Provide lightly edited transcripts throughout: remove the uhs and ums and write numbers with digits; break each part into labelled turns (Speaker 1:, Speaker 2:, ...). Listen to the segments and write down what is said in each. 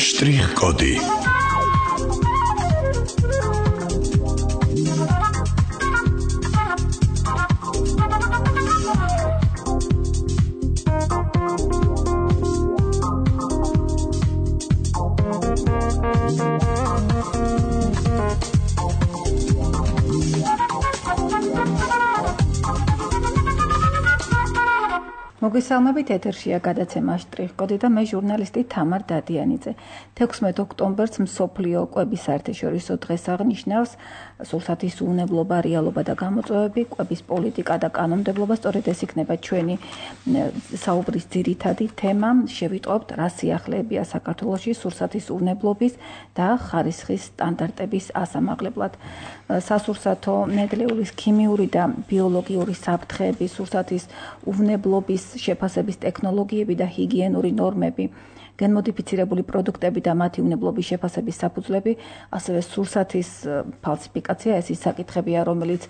Speaker 1: Շտրիխ-կոդի
Speaker 2: მოგესალმებით ეთერშია გადაცემა შტრიხ-კოდი და მე ჟურნალისტი თამარ დადიანიძე. 16 ოქტომბერს მსოფლიო კვების საერთაშორისო დღეს აღნიშნავს სურსათის უვნებლობა, რეალობა და გამოწვევები, კვების პოლიტიკა და კანონმდებლობა. სწორედ ეს იქნება ჩვენი საუბრის ძირითადი თემა. შევიტყობთ, რა სიახლეებია საქართველოში სურსათის უვნებლობის და ხარისხის სტანდარტების ასამაღლებლად. სასურსათო ნედლეულის ქიმიური და ბიოლოგიური საფრთხეები, სურსათის უვნებლობის შეფასების ტექნოლოგიები და ჰიგიენური ნორმები, გენმოდიფიცირებული პროდუქტები და მათი უვნებლობის შეფასების საფუძვლები, ასევე სურსათის ფალსიფიკაცია, ეს ის საკითხებია, რომელიც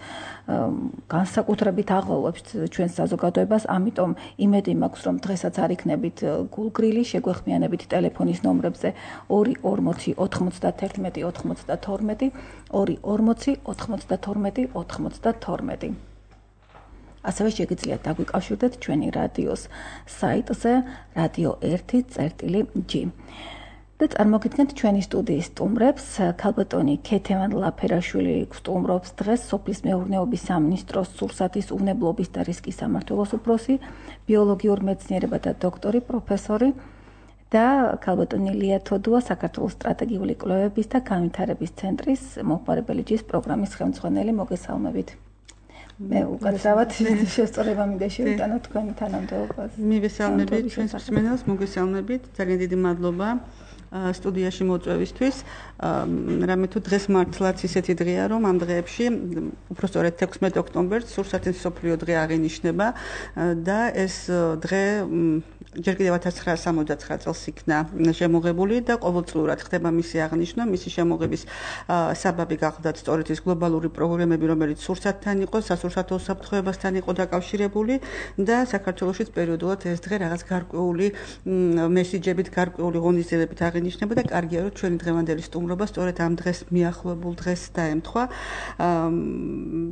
Speaker 2: განსაკუთრებით აღვალვებს ჩვენს საზოგადოებას, ამიტომ იმედი მაქვს, რომ დღესაც არ იქნებით გულგრილი, შეგვეხმიანებით ტელეფონის ნომრებზე 240 91 92 240 92 92. ასევე შეგიძლიათ დაგვიკავშირდეთ ჩვენი რადიოს საიტზე radio1.g. და წარმოგიდგენთ ჩვენი სტუდიის სტუმრებს. ქალბატონი ქეთევან ლაფერაშვილი სტუმრობს დღეს სოფლის მეურნეობის სამინისტროს სურსათის უვნებლობის და რისკის სამმართველოს უფროსი, ბიოლოგიურ მეცნიერებათა დოქტორი, პროფესორი და ქალბატონი ლია თოდუა, საქართველოს სტრატეგიული კვლევების და განვითარების ცენტრის მომხმარებელი ჯის პროგრამის ხელმძღვანელი. მოგესალმებით. მე უკაცრავად შესწორება მინდა შევიტანო თქვენი თანამდებობას.
Speaker 3: მივესალმებით ჩვენს მსმენელს, მოგესალმებით. ძალიან დიდი მადლობა სტუდიაში მოწვევისთვის. რამე თუ დღეს მართლაც ისეთი დღეა, რომ ამ დღეებში უფრო სწორედ 16 ოქტომბერს სურსათის მსოფლიო დღე აღინიშნება და ეს დღე ჯერ კიდევ 1969 წელს იქნა შემოღებული და ყოველწლიურად ხდება მისი აღნიშვნა. მისი შემოღების საბაბი გახლდათ სწორედ ის გლობალური პროგრამები, რომელიც სურსათთან იყო, სასურსათო უსაფრთხოებასთან იყო დაკავშირებული და საქართველოშიც პერიოდულად ეს დღე რაღაც გარკვეული მესიჯებით, გარკვეული ღონისძიებებით აღინიშნება და კარგია, რომ ჩვენი დღევანდელი სტუმრობა სწორედ ამ დღეს მიახლოებულ დღეს დაემთხვა.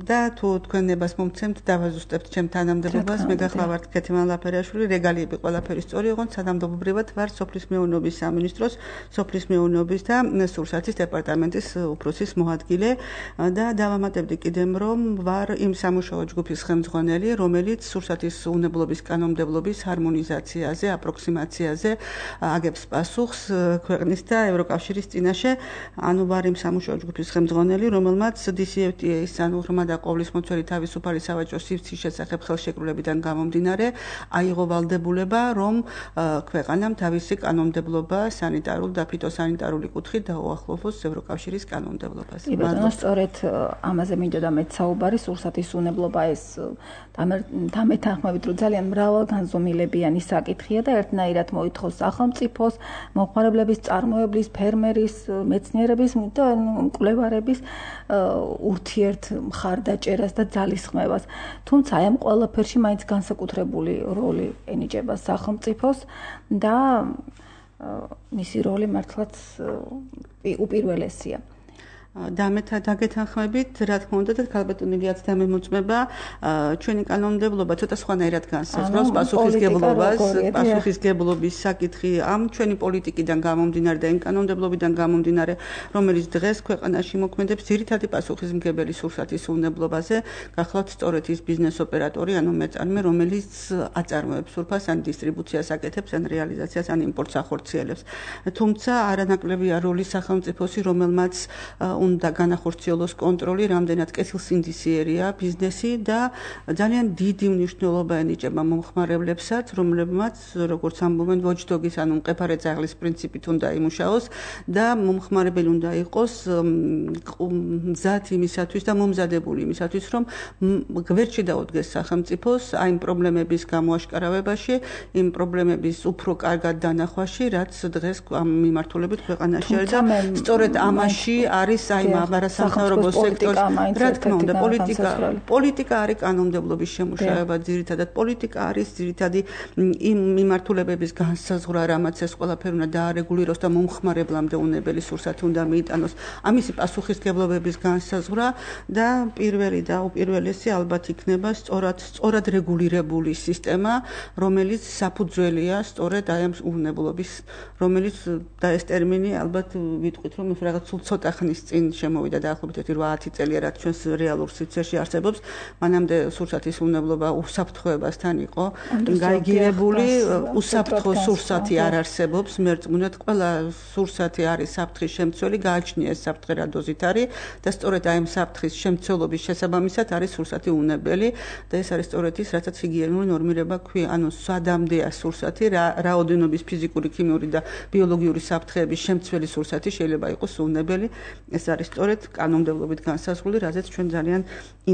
Speaker 3: და თუ თქვენ ნებას მომცემთ, დავაზუსტებთ ჩემ თანამდებობას. მე გახლავართ ქეთევან ლაფერაშვილი, რეგალიები ყველაფერი სწორი იყო, თანამდებობრივად ვარ სოფლის მეურნეობის სამინისტროს, სოფლის მეურნეობის და სურსათის დეპარტამენტის უფროსის მოადგილე და დავამატებდი კიდემ, რომ ვარ იმ სამუშაო ჯგუფის ხელმძღვანელი, რომელიც სურსათის უვნებლობის კანონმდებლობის ჰარმონიზაციაზე, აპროქსიმაციაზე აგებს პასუხს ქვეყნის და ევროკავშირის წინაშე. ანუ ვარ იმ სამუშაო ჯგუფის ხელმძღვანელი, რომელმაც DCFTA-ის, ანუ ღრმა და ყოვლისმომცველი თავისუფალი სავაჭრო სივრცის შესახებ ხელშეკრულებიდან გამომდინარე, აიღო ვალდებულება, რომ ქვეყანამ თავისი კანონმდებლობა სანიტარულ და ფიტოსანიტარული კუთხით დაუახლოვოს ევროკავშირის კანონმდებლობას.
Speaker 2: სწორედ ამაზე მინდოდა მეც საუბარი, სურსათის უვნებლობა ეს დამეთანხმებით, რომ ძალიან მრავალგანზომილებიანი საკითხია და ერთნაირად მოითხოვს სახელმწიფოს, მომხმარებლების, წარმოებლის, ფერმერის, მეცნიერების და მკვლევარების ურთიერთ მხარდაჭერას და ძალისხმევას. თუმცა აი ამ ყველაფერში მაინც განსაკუთრებული როლი ენიჭება სახელმწიფოს და მისი როლი მართლაც უპირველესია.
Speaker 3: დაგეთანხმებით, რა თქმა უნდა, და ქალბატონი ლიაც დამემოწმება, ჩვენი კანონმდებლობა ცოტა სხვანაირად განსაზღვრავს პასუხისგებლობის საკითხი ამ ჩვენი პოლიტიკიდან გამომდინარე და იმ კანონმდებლობიდან გამომდინარე, რომელიც დღეს ქვეყანაში მოქმედებს, ძირითადი პასუხისმგებელი სურსათის უვნებლობაზე გახლავთ სწორედ ის ბიზნეს ოპერატორი, ანუ მეწარმე, რომელიც აწარმოებს სურფას, ან დისტრიბუციას აკეთებს, ან რეალიზაციას, ან იმპორტს ახორციელებს. თუმცა არანაკლებია როლი სახელმწიფოსი, რომელმაც უნდა განახორციელოს კონტროლი, რამდენად კეთილსინდისიერია ბიზნესი და ძალიან დიდი მნიშვნელობა ენიჭება მომხმარებლებსაც, რომლებმაც, როგორც ამბობენ, watchdog-ის, ანუ მყეფარე ძაღლის პრინციპით უნდა იმუშაოს და მომხმარებელი უნდა იყოს მზად იმისათვის და მომზადებული იმისათვის, რომ გვერდში დაუდგეს სახელმწიფოს აი იმ პრობლემების გამოაშკარავებაში, იმ პრობლემების უფრო კარგად დანახვაში, რაც დღეს ამ მიმართულებით ქვეყანაში არის და სწორედ ამაში არის საიმა არასამთავრობო სექტორის რა თქმა უნდა პოლიტიკა არის კანონმდებლობის შემუშავება ძირითადად პოლიტიკა არის ძირითადი იმ მიმართულებების განსაზღვრა რამაც ეს ყველაფერი უნდა დაარეგულიროს და მომხმარებლამდე უნებელი სურსათი უნდა მიიტანოს ამისი პასუხისმგებლობების განსაზღვრა და პირველი და უპირველესი ალბათ იქნება სწორად რეგულირებული სისტემა რომელიც საფუძველია სწორედ აი ამ უნებლობის რომელიც და ეს ტერმინი ალბათ ვიტყვით რომ რაღაც სულ ცოტა ხნის წინ შემოვიდა დაახლოებით 8-10 წელია რაც ჩვენს რეალურ სივრცეში არსებობს მანამდე სურსათის უნებლობა უსაფრთხოებასთან იყო გაიგირებული უსაფრთხო სურსათი არ არსებობს მერწმუნედ ყველა სურსათი არის საფრთხის შემცველი გააჩნია ეს საფრთხე რა დოზით არის და სწორედ აი ამ საფრთხის შემცველობის შესაბამისად არის სურსათი უნებელი და ეს არის სწორედ ის რასაც ჰიგიენური ნორმირება ქვია ანუ სადამდეა სურსათი რა ოდენობის ფიზიკური ქიმიური და ბიოლოგიური საფრთხეების შემცველი სურსათი შეიძლება იყოს უნებელი ეს არის სწორედ კანონმდებლობით განსაზღვრული რაზეც ჩვენ ძალიან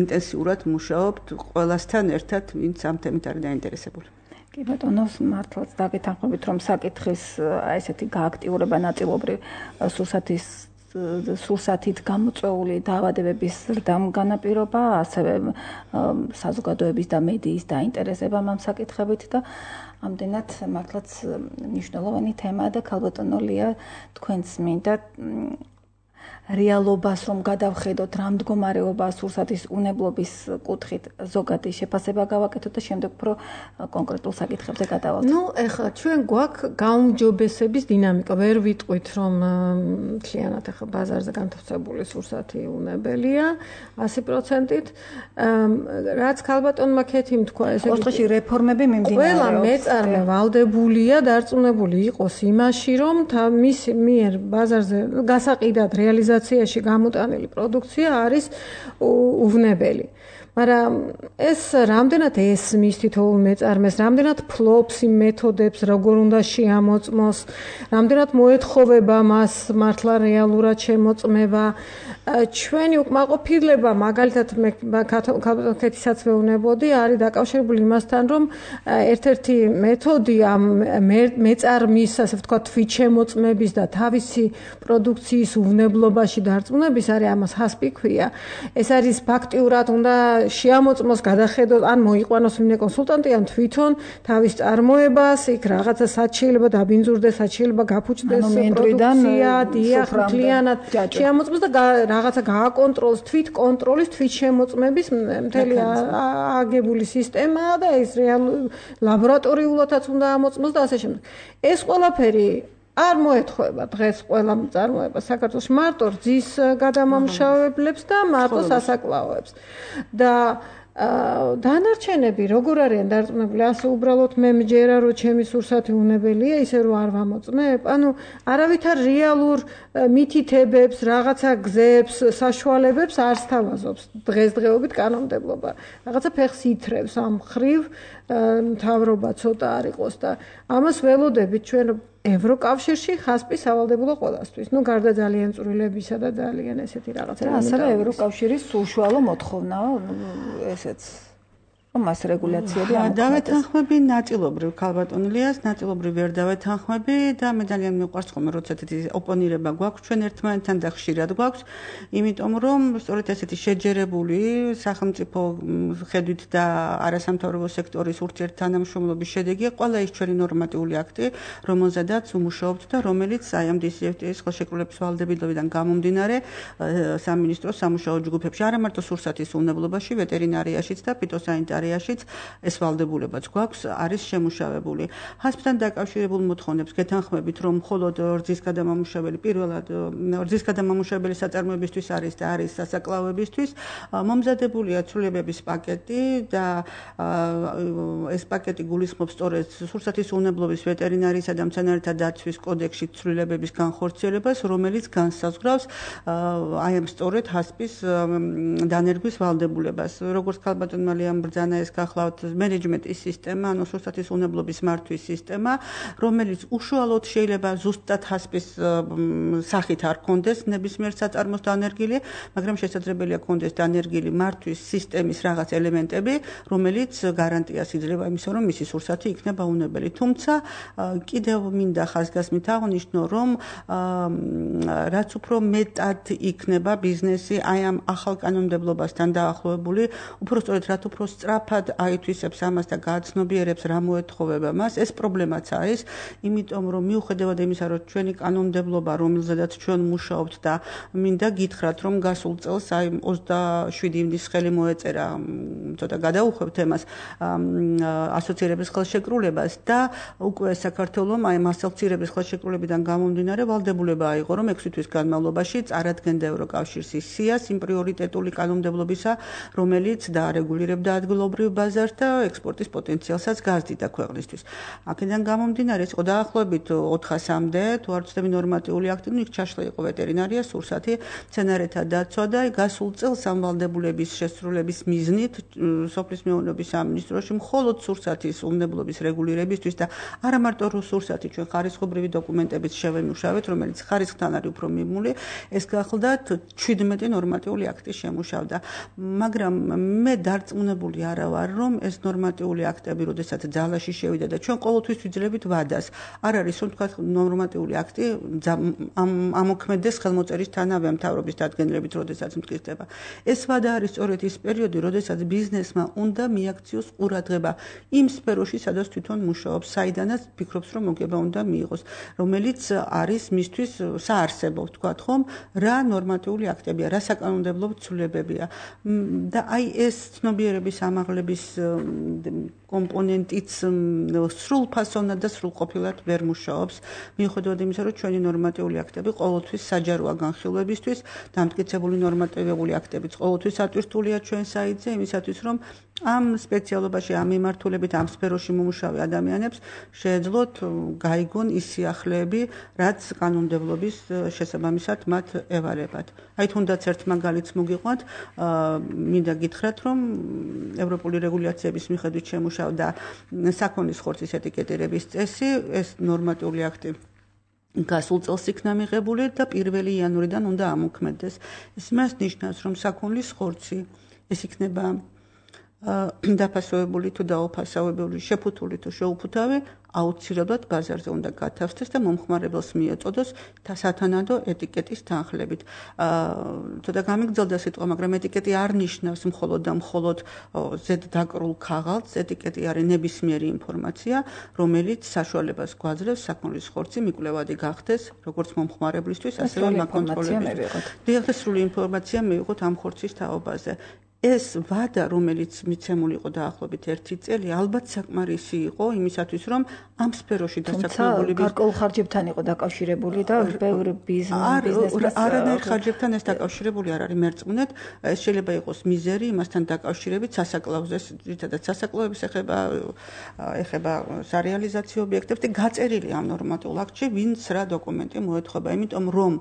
Speaker 3: ინტენსიურად მუშაობთ ყველასთან ერთად ვინც ამ თემით არის დაინტერესებული
Speaker 2: კი ბატონო მართლაც დაგეთანხმებით რომ საკითხის აი ესეთი გააქტიურება ნაწილობრივ სურსათით გამოწვეული დაავადებების ზრდამ განაპირობა ასევე საზოგადოების და მედიის დაინტერესება ამ საკითხებით და ამდენად მართლაც მნიშვნელოვანი თემაა და ქალბატონო ლია თქვენს მინდა რეალობას რომ გადავხედოთ რა მდგომარეობა სურსათის უნებლობის კუთხით ზოგადი შეფასება გავაკეთოთ და შემდეგ უფრო კონკრეტულ საკითხებზე გადავალთ.
Speaker 1: ნუ ეხლა ჩვენ გვაქვს გაუმჯობესების დინამიკა. ვერ ვიტყვით რომ მთლიანად ეხლა ბაზარზე განთავსებული სურსათი უნებელია 100%-ით. რაც ქალბატონმა ქეთიმ თქვა, ესე
Speaker 2: ოთხში რეფორმები მიმდინარეობს.
Speaker 1: ყველა მეწარმე ვალდებულია დარწმუნებული იყოს იმაში, რომ მის მიერ ბაზარზე გასაყიდად რეალიზაციაში გამოტანილი პროდუქცია არის უვნებელი. მაგრამ ეს რამდენად ესმის თითოეულ მეწარმეს, რამდენად ფლობს იმ მეთოდებს, როგორ უნდა შეამოწმოს, რამდენად მოეთხოვება მას მართლა რეალურად შემოწმება. ჩვენი უკმაყოფილება, მაგალითად მე ქათისაც ვეუბნებოდი, არის დაკავშირებული იმასთან, რომ ერთ-ერთი მეთოდი ამ მეწარმის, ასე ვთქვათ, თვით შემოწმების და თავისი პროდუქციის უვნებლობაში დარწმუნების არის ამას ჰასპი ქვია. ეს არის ფაქტიურად უნდა შეამოწმოს, გადახედოს, ან მოიყვანოს ვინმე კონსულტანტი, ან თვითონ თავის წარმოებას, იქ რაღაცა სად შეიძლება დაბინძურდეს, სად შეიძლება გაფუჭდეს პროდუქცია, დიახ, მთლიანად შეამოწმოს და რაღაცა გააკონტროლოს, თვით კონტროლის, თვით შემოწმების მთელი აგებული სისტემაა და ეს ლაბორატორიულადაც უნდა ამოწმოს და ასე შემდეგ. ეს ყველაფერი არ მოეთხოვება დღეს ყველა მწარმოება საქართველოს მარტო რძის გადამამუშავებლებს და მარტო სასაკლაოებს. და დანარჩენები როგორ არიან დარწმუნებული, ასე უბრალოდ მე მჯერა რომ ჩემი სურსათი უნებელია, ისე რომ არ ვამოწმებ. ანუ არავითარ რეალურ მითითებებს, რაღაცა გზებს, საშუალებებს არ სთავაზობს დღესდღეობით კანონმდებლობა. რაღაცა ფეხს ითრევს ამ ხრივ მთავრობა ცოტა არ იყოს და ამას ველოდებით ჩვენ ევროკავშირში ხასპი სავალდებულო ყველასთვის. ნუ გარდა ძალიან წვრილებისა და ძალიან ესეთი რაღაცა.
Speaker 2: ასევე ევროკავშირის საშუალო მოთხოვნაა ესეც მას რეგულაციები
Speaker 3: დავეთანხმები ნაწილობრივ ქალბატონლიას, ნაწილობრივ ვერ დავეთანხმები და მე ძალიან მიყვარს ხოლმე როცა ესეთი ოპონირება გვაქვს ჩვენ ერთმანეთთან და ხშირად გვაქვს, იმიტომ რომ სწორედ ესეთი შეჯერებული სახელმწიფო ხედვით და არასამთავრობო სექტორის ურთიერთთანამშრომლობის შედეგია ყველა ის ჩვენი ნორმატიული აქტი, რომელზედაც ვმუშაობთ და რომელიც აი ამ DCFTA-ის ხელშეკრულების ვალდებულებიდან გამომდინარე სამინისტროს სამუშაო ჯგუფებში არა მარტო სურსათის უნებლობაში, ვეტერინარიაშიც და ფიტოსანიტარიაში ეს ვალდებულებაც გვაქვს არის შემუშავებული. ჰასპთან დაკავშირებულ მოთხოვნებს გეთანხმებით, რომ მხოლოდ რძის გადამამუშავებელი პირველად რძის გადამამუშავებელი საწარმოებისთვის არის და არის სასაკლაოებისთვის მომზადებულია ცვლილებების პაკეტი და ეს პაკეტი გულისხმობს სწორედ სურსათის უნებლობის ვეტერინარიისა და მცენარეთა დაცვის კოდექსში ცვლილებების განხორციელებას, რომელიც განსაზღვრავს აი ამ სწორედ ჰასპის დანერგვის ვალდებულებას. როგორც ქალბატონმა ლიამ ბრძანა ეს გახლავთ მენეჯმენტის სისტემა, ანუ სურსათის უნებლობის მართვის სისტემა, რომელიც უშუალოდ შეიძლება ზუსტად ჰასპის სახით არ კონდეს ნებისმიერ საწარმოს დანერგილი, მაგრამ შესაძლებელია კონდეს დანერგილი მართვის სისტემის რაღაც ელემენტები, რომელიც გარანტიას იძლევა იმისა, რომ მისი სურსათი იქნება უნებელი. თუმცა კიდევ მინდა ხაზგასმით აღვნიშნო, რომ რაც უფრო მეტად იქნება ბიზნესი აი ამ ახალ კანონმდებლობასთან დაახლოებული, უფრო სწორედ რაც უფრო სწრაფად აითვისებს ამას და გააცნობიერებს რა მოეთხოვება მას, ეს პრობლემაც არის, იმიტომ რომ მიუხედავად იმისა, რომ ჩვენი კანონმდებლობა, რომელზედაც ჩვენ მუშაობთ და მინდა გითხრათ, რომ გასულ წელს აი 27 ივნისს ხელი მოეწერა, ცოტა გადაუხვევთ თემას, ასოცირების ხელშეკრულებას და უკვე საქართველოს აი მასალცირების ხელშეკრულებიდან გამომდინარე ვალდებულება აიღო, რომ 6 თვის განმავლობაში წარადგენდა ევროკავშირის სიას იმ პრიორიტეტული კანონმდებლობისა, რომელიც დაარეგულირებდა ადგილობრივ ბაზარს და ექსპორტის პოტენციალსაც გაზრდიდა ქვეყნისთვის. აქედან გამომდინარე, ეს იყო დაახლოებით 400-მდე, თუ არ ვცდები ნორმატიული აქტი, იქ ჩაშლა იყო ვეტერინარია, სურსათი, მცენარეთა დაცვა და გასულ წელს ამ ვალდებულების შესრულების მიზნით სოფლის მეურნეობის სამინისტროში მხოლოდ სურსათის უნებლობის რეგულირებისთვის და არა მარტო სურსათი, ჩვენ ხარისხობრივი დოკუმენტებით შევემუშავეთ, რომელიც ხარისხთან არის უფრო მიმული, ეს გახლდათ 17 ნორმატიული აქტი შემუშავდა. მაგრამ მე დარწმუნებული არა ვარ, რომ ეს ნორმატიული აქტები, როდესაც ძალაში შევიდა და ჩვენ ყოველთვის ვიძლევით ვადას. არ არის, რომ თქვა ნორმატიული აქტი ამოქმედეს ხელმოწერის თანავე მთავრობის დადგენილებით, როდესაც მტკიცდება. ეს ვადა არის სწორედ ის პერიოდი, როდესაც ბიზნესმა უნდა მიაქციოს ყურადღება იმ სფეროში, სადაც თვითონ მუშაობს, საიდანაც ფიქრობს, რომ მოგება უნდა მიიღოს, რომელიც არის მისთვის საარსებო, ვთქვათ ხომ, რა ნორმატიული აქტებია, რა საკანონმდებლო ცვლილებებია. და აი ეს ცნობიერების ამაღლების კომპონენტიც სრულ ფასოვნად და სრულყოფილად ვერ მუშაობს, მიუხედავად იმისა, რომ ჩვენი ნორმატიული აქტები ყოველთვის საჯაროა განხილვებისთვის, დამტკიცებული ნორმატიული აქტებიც ყოველთვის ატვირთულია ჩვენ საიტზე, იმისათვის, რომ ამ სპეციალობაში, ამ მიმართულებით, ამ სფეროში მომუშავე ადამიანებს შეეძლოთ გაიგონ ის სიახლეები, რაც კანონმდებლობის შესაბამისად მათ ევალებათ. აი თუნდაც ერთ მაგალითს მოგიყვანთ, მინდა გითხრათ, რომ ევროპული რეგულაციების მიხედვით შემუშავდა საქონლის ხორცის ეტიკეტირების წესი, ეს ნორმატიული აქტი გასულ წელს იქნა მიღებული და 1 იანვრიდან უნდა ამოქმედდეს. ეს მას ნიშნავს, რომ საქონლის ხორცი ეს იქნება დაფასოვებული თუ დაუფასოვებული, შეფუთული თუ შეუფუთავი, აუცილებლად ბაზარზე უნდა გათავსდეს და მომხმარებელს მიეწოდოს სათანადო ეტიკეტის თანხლებით. ცოტა გამიგრძელდა სიტყვა, მაგრამ ეტიკეტი არ ნიშნავს მხოლოდ და მხოლოდ ზედ დაკრულ ქაღალდს, ეტიკეტი არის ნებისმიერი ინფორმაცია, რომელიც საშუალებას გვაძლევს საქონლის ხორცი მიკვლევადი გახდეს, როგორც მომხმარებლისთვის, ასევე მაკონტროლებისთვის. და სრული ინფორმაცია მივიღოთ ამ ხორცის თაობაზე. ეს ვადა, რომელიც მიცემული იყო დაახლოებით 1 წელი, ალბათ საკმარისი იყო იმისათვის, რომ ამ სფეროში დასაქმებული
Speaker 2: გარკვეულ ხარჯებთან იყო დაკავშირებული და ბევრი ბიზნესმენს
Speaker 3: არანაირ ხარჯებთან ეს დაკავშირებული არ არის მერწმუნედ, ეს შეიძლება იყოს მიზერი იმასთან დაკავშირებით სასაკლაუზე, ძირითადად სასაკლაუების ეხება სარეალიზაციო ობიექტებს და გაწერილი ამ ნორმატიულ აქტში, ვინც რა დოკუმენტი მოეთხოვა, იმიტომ რომ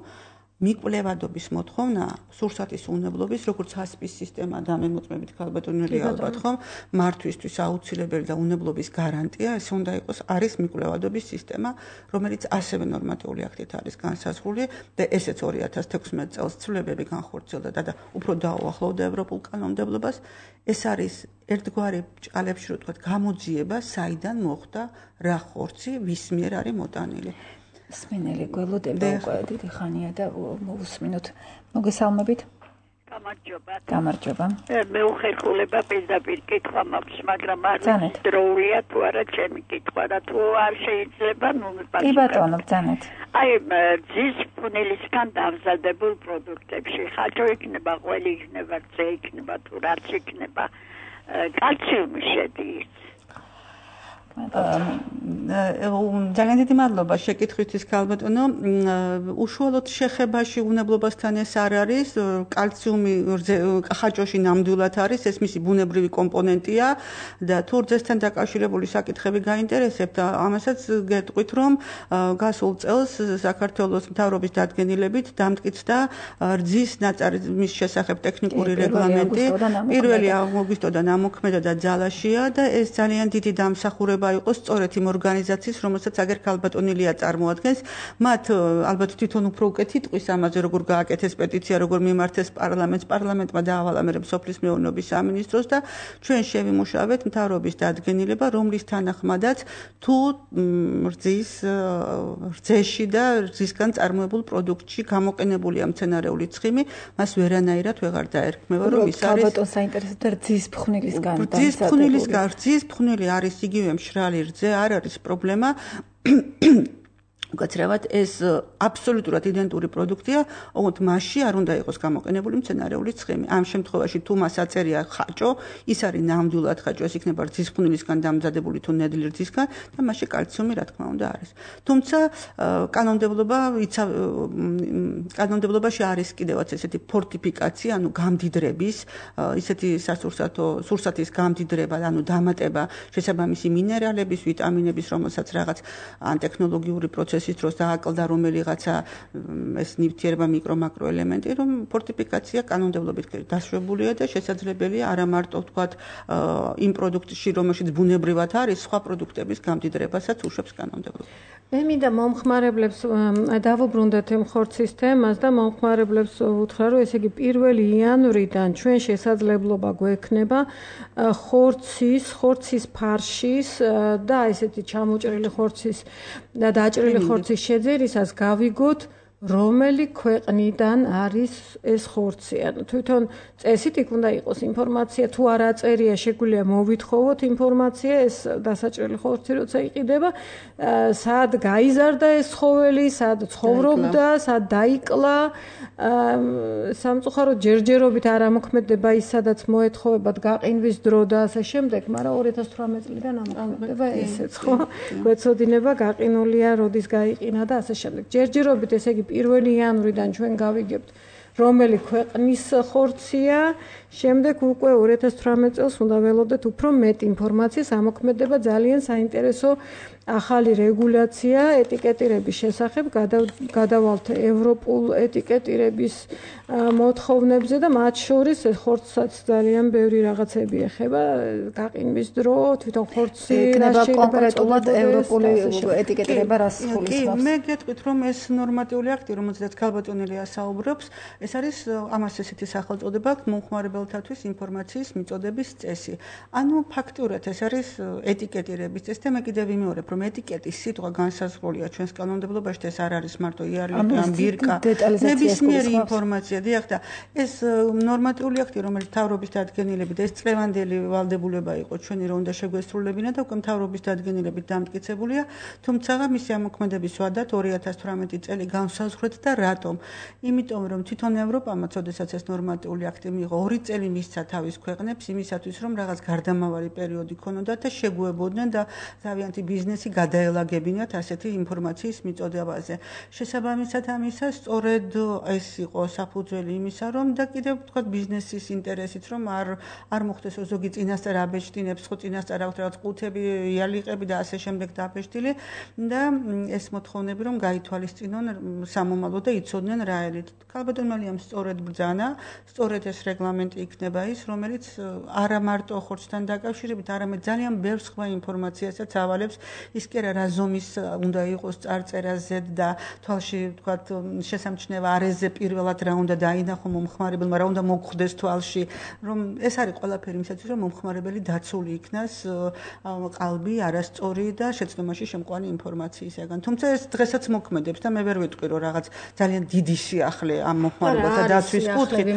Speaker 3: მიკვლევადობის მოთხოვნა სურსათის უნებლობის, როგორც ჰასპის სისტემა დამემოწმებით ქალბატონელი ალბათ ხომ, მართვისთვის აუცილებელი და უნებლობის გარანტია, ეს უნდა იყოს არის მიკვლევადობის სისტემა, რომელიც ასევე ნორმატიული აქტით არის განსაზღვრული და ესეც 2016 წელს ცვლილებები განხორციელდა და უფრო დაუახლოვდა ევროპულ კანონმდებლობას. ეს არის ერთგვარი ჭყალებში რო თქვა გამოძიება, საიდან მოხდა რა ხორცი, ვის მიერ არის მოტანილი.
Speaker 2: სმინელი გველოდება უკვე დიდი ხანია და მოვუსმინოთ. მოგესალმებით. გამარჯობა.
Speaker 4: მე უხერხულება პირდაპირ კითხვა მაქვს, მაგრამ არ დროულია თუ არა ჩემი კითხვა და თუ არ შეიძლება,
Speaker 2: კი ბატონო, ბრძანეთ.
Speaker 4: აი ძის ფუნელისგან დამზადებულ პროდუქტებში ხაჭო იქნება, ყველი იქნება, რძე იქნება, თუ რაც იქნება, კალციუმი შედის.
Speaker 3: ძალიან დიდი მადლობა შეკითხვისთვის ქალბატონო. უშუალოდ შეხებაში უნებლობასთან ეს არ არის, კალციუმი ხაჭოში ნამდვილად არის, ეს მისი ბუნებრივი კომპონენტია და თუ რძესთან დაკავშირებული საკითხები გაინტერესებთ, ამასაც გეტყვით, რომ გასულ წელს საქართველოს მთავრობის დადგენილებით დამტკიცდა რძის ნაწარმის შესახებ ტექნიკური რეგლამენტი 1 აგვისტოდან ამოქმედა და ძალაშია და ეს ძალიან დიდი დამსახურება იყო სწორედ იმ ორგანიზაციის, რომელსაც აგერ ქალბატონილია წარმოადგენს. მათ ალბათ თვითონ უფრო უკეთ იტყვის ამაზე, როგორ გააკეთეს პეტიცია, როგორ მიმართეს პარლამენტმა დაავალა მე სოფლის მეურნეობის სამინისტროს და ჩვენ შევიმუშავეთ მთავრობის დადგენილება, რომლის თანახმადაც თუ რძეში და რძისგან წარმოებულ პროდუქტში გამოყენებულია მცენარეული ცხიმი, მას ვერანაირად ვეღარ დაერქმევა, რომ ის არის
Speaker 2: ქალბატონს საინტერესებდა რძის ფხვნილისგან.
Speaker 3: რძის ფხვნილი არის იგივე მშრალი რძე, არ არის პრობლემა. უკაცრავად ეს აბსოლუტურად იდენტური პროდუქტია, ოღონდ მასში არ უნდა იყოს გამოყენებული მცენარეული ცხიმი. ამ შემთხვევაში თუ მას აწერია ხაჭო, ის არის ნამდვილად ხაჭო, ეს იქნება რძის ფხვნილისგან დამზადებული თუ ნედლი რძისგან და მასში კალციუმი რა თქმა უნდა არის. თუმცა კანონმდებლობაში არის კიდევაც ესეთი ფორტიფიკაცია, ანუ გამდიდრების, ისეთი სურსათის გამდიდრება, ანუ დამატება შესაბამისი მინერალების, ვიტამინების, რომელსაც რაღაც ან ტექნოლოგიური პროცესის დროს დააკლდა რომელიღაცა ეს ნივთიერება მიკრო-მაკრო ელემენტი, რომ ფორტიფიკაცია კანონმდებლობით დაშვებულია და შესაძლებელია არა მარტო ვთქვათ იმ პროდუქტში, რომელშიც ბუნებრივად არის, სხვა პროდუქტების გამდიდრებასაც უშვებს კანონმდებლობა.
Speaker 1: მე მინდა მომხმარებლებს დავუბრუნდეთ იმ ხორცის თემას და მომხმარებლებს უთხრა, რომ ესე იგი 1 იანვრიდან ჩვენ შესაძლებლობა გვექნება ხორცის ფარშის და ესეთი ჩამოჭრილი ხორცის და დაჭრილი ხორცის შეძერისას გავიგოთ რომელი ქვეყნიდან არის ეს ხორცი. ანუ თვითონ წესით იქ უნდა იყოს ინფორმაცია, თუ არ აწერია, შეგვიძლია მოვითხოვოთ ინფორმაცია, ეს დასაჭრელი ხორცი როცა იყიდება, სად გაიზარდა ეს ცხოველი, სად ცხოვრობდა, სად დაიკლა. სამწუხაროდ ჯერჯერობით არ ამოქმედება ის, სადაც მოეთხოვებათ გაყინვის დრო და ასე შემდეგ, მაგრამ 2018 წლიდან ამოქმედება ესეც, ხო? გვეცოდინება გაყინულია, როდის გაიყინა და ასე შემდეგ. ჯერჯერობით ესე იგი 1 იანვრიდან ჩვენ გავიგებთ რომელი ქვეყნის ხორცია, შემდეგ უკვე 2018 წელს უნდა ველოდეთ უფრო მეტ ინფორმაციას, ამოქმედება ძალიან საინტერესო ახალი რეგულაცია ეტიკეტირების შესახებ, გადავალთ ევროპულ ეტიკეტირების მოთხოვნებზე და მათ შორის ხორცსაც ძალიან ბევრი რაღაცები ეხება, გაყინვის დრო, თვითონ ხორცი
Speaker 2: იქნება კონკრეტულად ევროპული ეტიკეტირება რას გულისხმობს.
Speaker 3: მე გეტყვით, რომ ეს ნორმატიული აქტი, რომელზეც ქალბატონელია საუბრობს, ეს არის ამას ესეთი სახელწოდება მომხმარებელთათვის ინფორმაციის მიწოდების წესი. ანუ ფაქტურად ეს არის ეტიკეტირების წესი და მე კიდევ ვიმეორებ, რომ ეტიკეტის სიტყვა განსაზღვრულია ჩვენს კანონმდებლობაში და ეს არ არის მარტო იარლი ან ბირკა. ნებისმიერი ინფორმაცია, დიახ და ეს ნორმატიული აქტი, რომელიც მთავრობის დადგენილებით ეს წლევანდელი ვალდებულება იყო ჩვენი, რომ უნდა შეგვესრულებინა და უკვე მთავრობის დადგენილებით დამტკიცებულია, თუმცა მისი ამოქმედების ვადათ 2018 წელი განსაზღვრეთ და რატომ? იმიტომ რომ თვითონ ევროპამაც, ოდესაც ეს ნორმატიული აქტი მიიღო, 2 წელი მისცა თავის ქვეყნებს იმისათვის, რომ რაღაც გარდამავალი პერიოდი ქონოდათ და შეგუებოდნენ და თავიანთი ბიზნესი გადაელაგებინათ ასეთი ინფორმაციის მიწოდებაზე. შესაბამისად ამისა, სწორედ ეს იყო საფუძველი იმისა, რომ და კიდევ ვთქვათ ბიზნესის ინტერესით, რომ არ მოხდეს ზოგი წინასწარ აბეჭდინებს, ხო წინასწარ აქვს რაღაც ყუთები, იალიყები და ასე შემდეგ დაბეჭდილი და ეს მოთხოვნები რომ გაითვალისწინონ სამომავლოდ და იცოდნენ რა ელით. ქალბატონელიამ სწორედ ბრძანა, სწორედ ეს რეგლამენტი იქნება ის, რომელიც არა მარტო ხორცთან დაკავშირებით, არამედ ძალიან ბევრ სხვა ინფორმაციასაც ავალებს. ის კი არა რა ზომის უნდა იყოს წარწერა Z და თვალში ვთქვათ შესამჩნევა არეზე პირველად რა უნდა დაინახო მომხმარებელმა, რა უნდა მოგხვდეს თვალში, რომ ეს არის ყველაფერი იმისათვის, რომ მომხმარებელი დაცული იქნას ყალბი არასწორი და შეცდომაში შემყვანი ინფორმაციისაგან. თუმცა ეს დღესაც მოქმედებს და მე ვერ ვიტყვი, რომ რაღაც ძალიან დიდი სიახლე ამ მომხმარებელთა დაცვის კუთხით.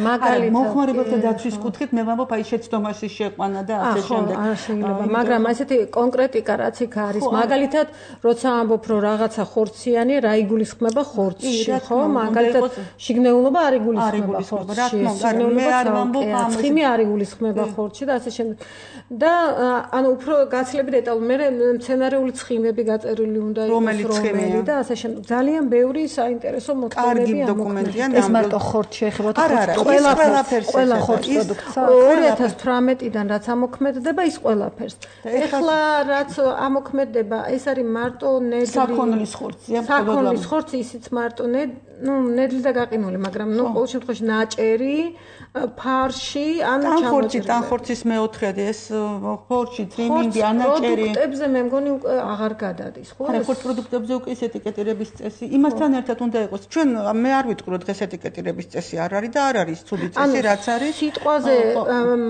Speaker 3: მომხმარებელთა დაცვის კუთხით მე ვამბობ, აი შეცდომაში შეყვანა და ასე შემდეგ.
Speaker 1: არა, შეიძლება, მაგრამ ასეთი კონკრეტიკა რაც იქ არის, მაგალითად, როცა ამბობ, რომ რაღაცა ხორციანი, რა იგულისხმება ხორცში, ხო? მაგალითად, შიგნეულობა არ იგულისხმება ხორცში.
Speaker 3: მე არ ვამბობ ამას.
Speaker 1: ცხიმი არ იგულისხმება ხორცში და ასე შემდეგ. და ანუ უფრო გაცილებით დეტალურად მე მცენარეული ცხიმები გაწერილი უნდა იყოს რომელი და ასე შემდეგ. ძალიან ბევრი საინტერესო მოთხოვნები
Speaker 3: ამოქმედია.
Speaker 2: ეს მარტო ხორცში ეხება ყველა ხორცს პროდუქტს
Speaker 1: 2018-დან რაც ამოქმედდება ის ყველაფერს. ეხლა რაც ამოქმედება ეს არის მარტო ნედლი
Speaker 3: საქონლის ხორცია.
Speaker 1: საქონლის ხორცი ისიც მარტო ნედლი და გაყინული, მაგრამ ყოველ შემთხვევაში ნაჭერი ფარში ან
Speaker 3: ჩამოჭრილი. ტანხორცის მეოთხედი ეს ხორცი, ტრიმინგი, ანაჭერი.
Speaker 1: პროდუქტებზე მე მგონი უკვე აღარ გადადის, ხო?
Speaker 3: არა, ხორცის პროდუქტებზე უკვე ეს ეტიკეტირების წესი. იმასთან ერთად უნდა იყოს. ჩვენ მე არ ვიტყვი რომ დღეს ეტიკეტირების წესი არ არის და არ არის ცუდი წესი, რაც არის.
Speaker 1: სიტყვაზე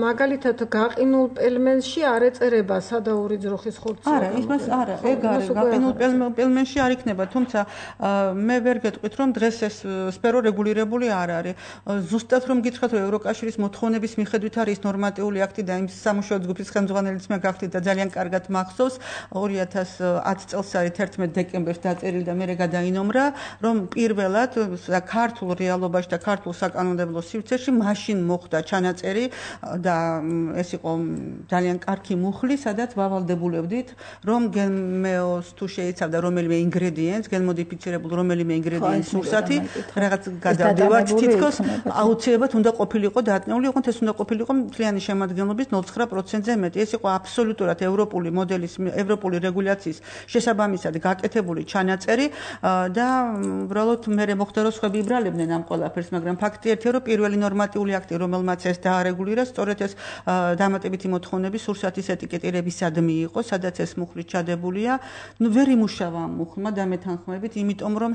Speaker 1: მაგალითად გაყინულ პელმენში არ ეწერება სადაური ძროხის ხორცი.
Speaker 3: არა, იმას არა, ეგ არის. გაყინულ პელმენში არ იქნება, თუმცა მე ვერ გეტყვით რომ დღეს ეს სფერო რეგულირებული არ არის. ზუსტად რომ გითხრათ რომ ევროკავშირის მოთხოვნების მიხედვით არის ნორმატიული აქტი და იმ სამუშაო ჯგუფის ხელმძღვანელიც მე გახდით და ძალიან კარგად მახსოვს 2010 წელს არის 11 დეკემბერს დაწერილი და მე გადაინომრა რომ პირველად ქართულ რეალობაში და ქართულ საკანონმდებლო სივრცეში მაშინ მოხდა ჩანაწერი და ეს იყო ძალიან კარგი მუხლი სადაც ვავალდებულებდით რომ გენმეოს თუ შეიცავდა რომელიმე ინგრედიენტს გენმოდიფიცირებულ რომელიმე ინგრედიენტს სურსათი რაღაც გადავდივართ თითქოს აუცილებლად უნდა ყოფილიყო დატნეული ოღონდ ეს უნდა ყოფილიყო მთლიანი შემადგენლობის 0.9%-ზე მეტი ეს იყო აბსოლუტურად ევროპული მოდელის ევროპული რეგულაციის შესაბამისად გაკეთებული ჩანაწერი და უბრალოდ მე მოხდა რომ სხვები იბრალებდნენ ამ ყველაფერს მაგრამ ფაქტი ერთია რომ პირველი ნორმატიული აქტი რომელმაც ეს დაარეგულირა სწორედ ეს დამატებითი მოთხოვნები სურსათის ეტიკეტირებისადმი იყო სადაც ეს მუხლი ჩადებულია ვერ იმუშავა ამ მუხლმა დამეთანხმებით იმიტომ რომ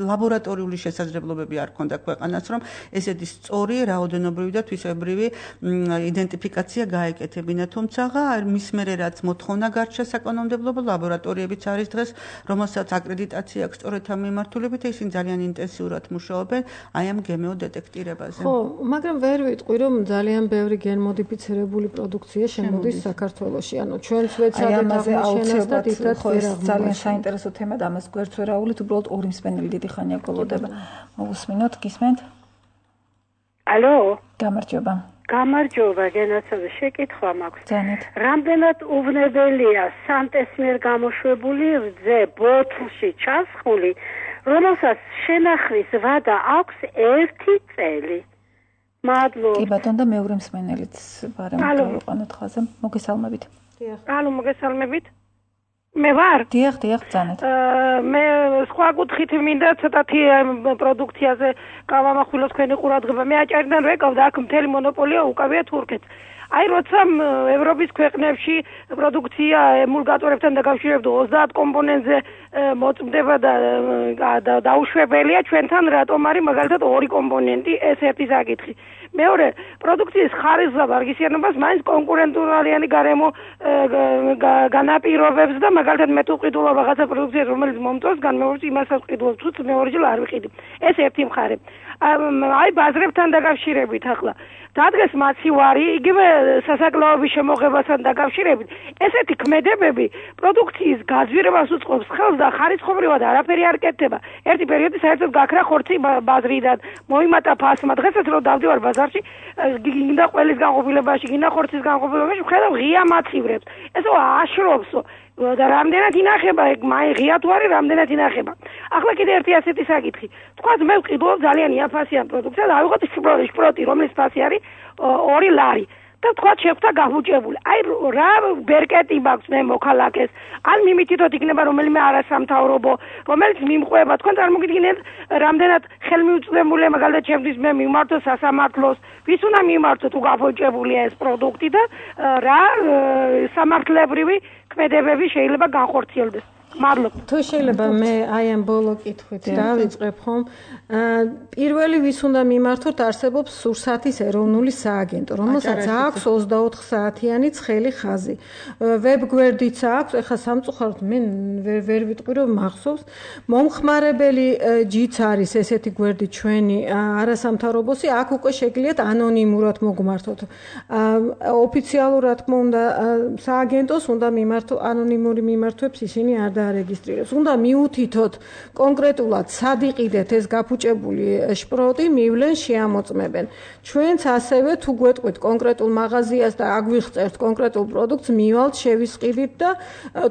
Speaker 3: ლაბორატორიული შესაძლებლობები არ ქონდა ქვეყანას რომ ესეთი სწორი რაოდენობრივი და თვისებრივი იდენტიფიკაცია გაეკეთებინა თუმცა მის მერე რაც მოთხოვნა გარჩა საკანონმდებლო ლაბორატორიებიც არის დღეს რომელსაც აკრედიტაცია აქვს სწორედ ამ მიმართულებით ისინი ძალიან ინტენსიურად მუშაობენ აი ამ გემეო დეტექტირებაზე
Speaker 1: ხო მაგრამ ვერ ვიტყვი რომ ძალიან ბევრი გენმოდიფიცირებული პროდუქცია შემოდის საქართველოში ანუ ჩვენც ვეცადეთ აღმოჩენას და თითქოს ვერ აღმოჩნდა
Speaker 2: ძალიან საინტერესო თემა და ამას გვერდს ვერ აუვლით უბრალოდ ორი მსმენელი დიდი ხანია გველოდება მოგусმინოთ გისმენთ
Speaker 5: ალო
Speaker 2: გამარჯობა
Speaker 5: გამარჯობა გენაცადე შეკითხვა მაქვს
Speaker 2: ძალიან
Speaker 5: რამდენად უვნებელია სანტეს მიერ გამოშვებული რძე ბოთლში ჩასხული რომელსაც შენახვის ვადა აქვს 1 წელი მადლობა
Speaker 2: კი ბატონო და მეორე მსმენელიც ბარემ დავიყვანოთ ხაზე მოგესალმებით
Speaker 5: ალო მოგესალმებით მე ვარ
Speaker 2: დიახ ძალიან
Speaker 5: მე სხვა კუთხით მინდა ცოტათი პროდუქციაზე გავამახვილოთ თქვენი ყურადღება მე აჭარიდან რო ეკავდა აქ მთელი მონოპოლია უკავია თურქეთს აი როცა ევროპის ქვეყნებში პროდუქცია ემულგატორებთან დაკავშირებით 30 კომპონენტზე მოწმდება და დაუშვებელია ჩვენთან რატომ არის მაგალითად 2 კომპონენტი ეს ერთი საკითხი მეორე პროდუქციის ხარისხს და ვარგისიანობას მაინც კონკურენტულიანი გარემო განაპირობებს და მაგალითად მე თუ ყიდულობ რაღაცა პროდუქციას რომელიც მომწონს განმეორებს იმასაც ყიდულობ თუ მეორჯერ არ ვიყიდი ეს ერთი მხარე აი ბაზრებთან დაკავშირებით ახლა დადგეს მაცივარი იგივე სასაკლაოების შემოღებასთან დაკავშირებით ესეთი ქმედებები პროდუქციის გაზვირებას უწყობს ხელს და ხარისხობრივად არაფერი არ კეთდება ერთი პერიოდი საერთოდ გაქრა ხორცი ბაზრიდან მოიმატა ფასმა დღესაც რომ დავდივარ ბაზარში გინდა ყველის განყოფილებაში გინდა ხორცის განყოფილებაში ვხედავ ღია მაცივრებს ესო აშრობსო და რამდენად ინახება ეგ მაი ღია თუ არის რამდენად ინახება ახლა კიდე ერთი ასეთი საკითხი თქვათ მე ვყიდულობ ძალიან იაფასიან პროდუქციას ავიღოთ შპროტი რომლის ფასი არის 2 ლარი და თქვათ შეხვდა გაბუჭებული აი რა ბერკეტი მაქვს მე მოქალაქეს ან მიმითითოთ იქნება რომელიმე არასამთავრობო რომელიც მიმყვება თქვენ წარმოგიდგენთ რამდენად ხელმიუწვდომელია მაგალითად ჩემთვის მე მიმართო სასამართლოს ვის უნდა მიმართო თუ გაბუჭებულია ეს პროდუქტი და რა სამართლებრივი ქმედებები შეიძლება განხორციელდეს მადლობა.
Speaker 1: თუ შეიძლება მე აი ამ ბოლო კითხვით დავიწყებ ხომ? პირველი ვის უნდა მიმართოთ, არსებობს სურსათის ეროვნული სააგენტო, რომელსაც აქვს 24 საათიანი ცხელი ხაზი. ვებგვერდიც აქვს, ეხლა სამწუხაროდ მე ვერ ვიტყვი რომ მახსოვს. მომხმარებელი ჯიც არის ესეთი გვერდი ჩვენი არასამთავრობოსი, აქ უკვე შეგიძლიათ ანონიმურად მოგმართოთ. ოფიციალურად თქმა უნდა სააგენტოს უნდა მიმართო ანონიმური მიმართვებს ისინი არ დაარეგისტრირებს. უნდა მიუთითოთ კონკრეტულად სად იყიდეთ ეს გაფუჭებული შპროტი, მივლენ შეამოწმებენ. ჩვენც ასევე თუ გვეტყვით კონკრეტულ მაღაზიას და აგვიღწევთ კონკრეტულ პროდუქტს, მივალთ, შევისყიდით და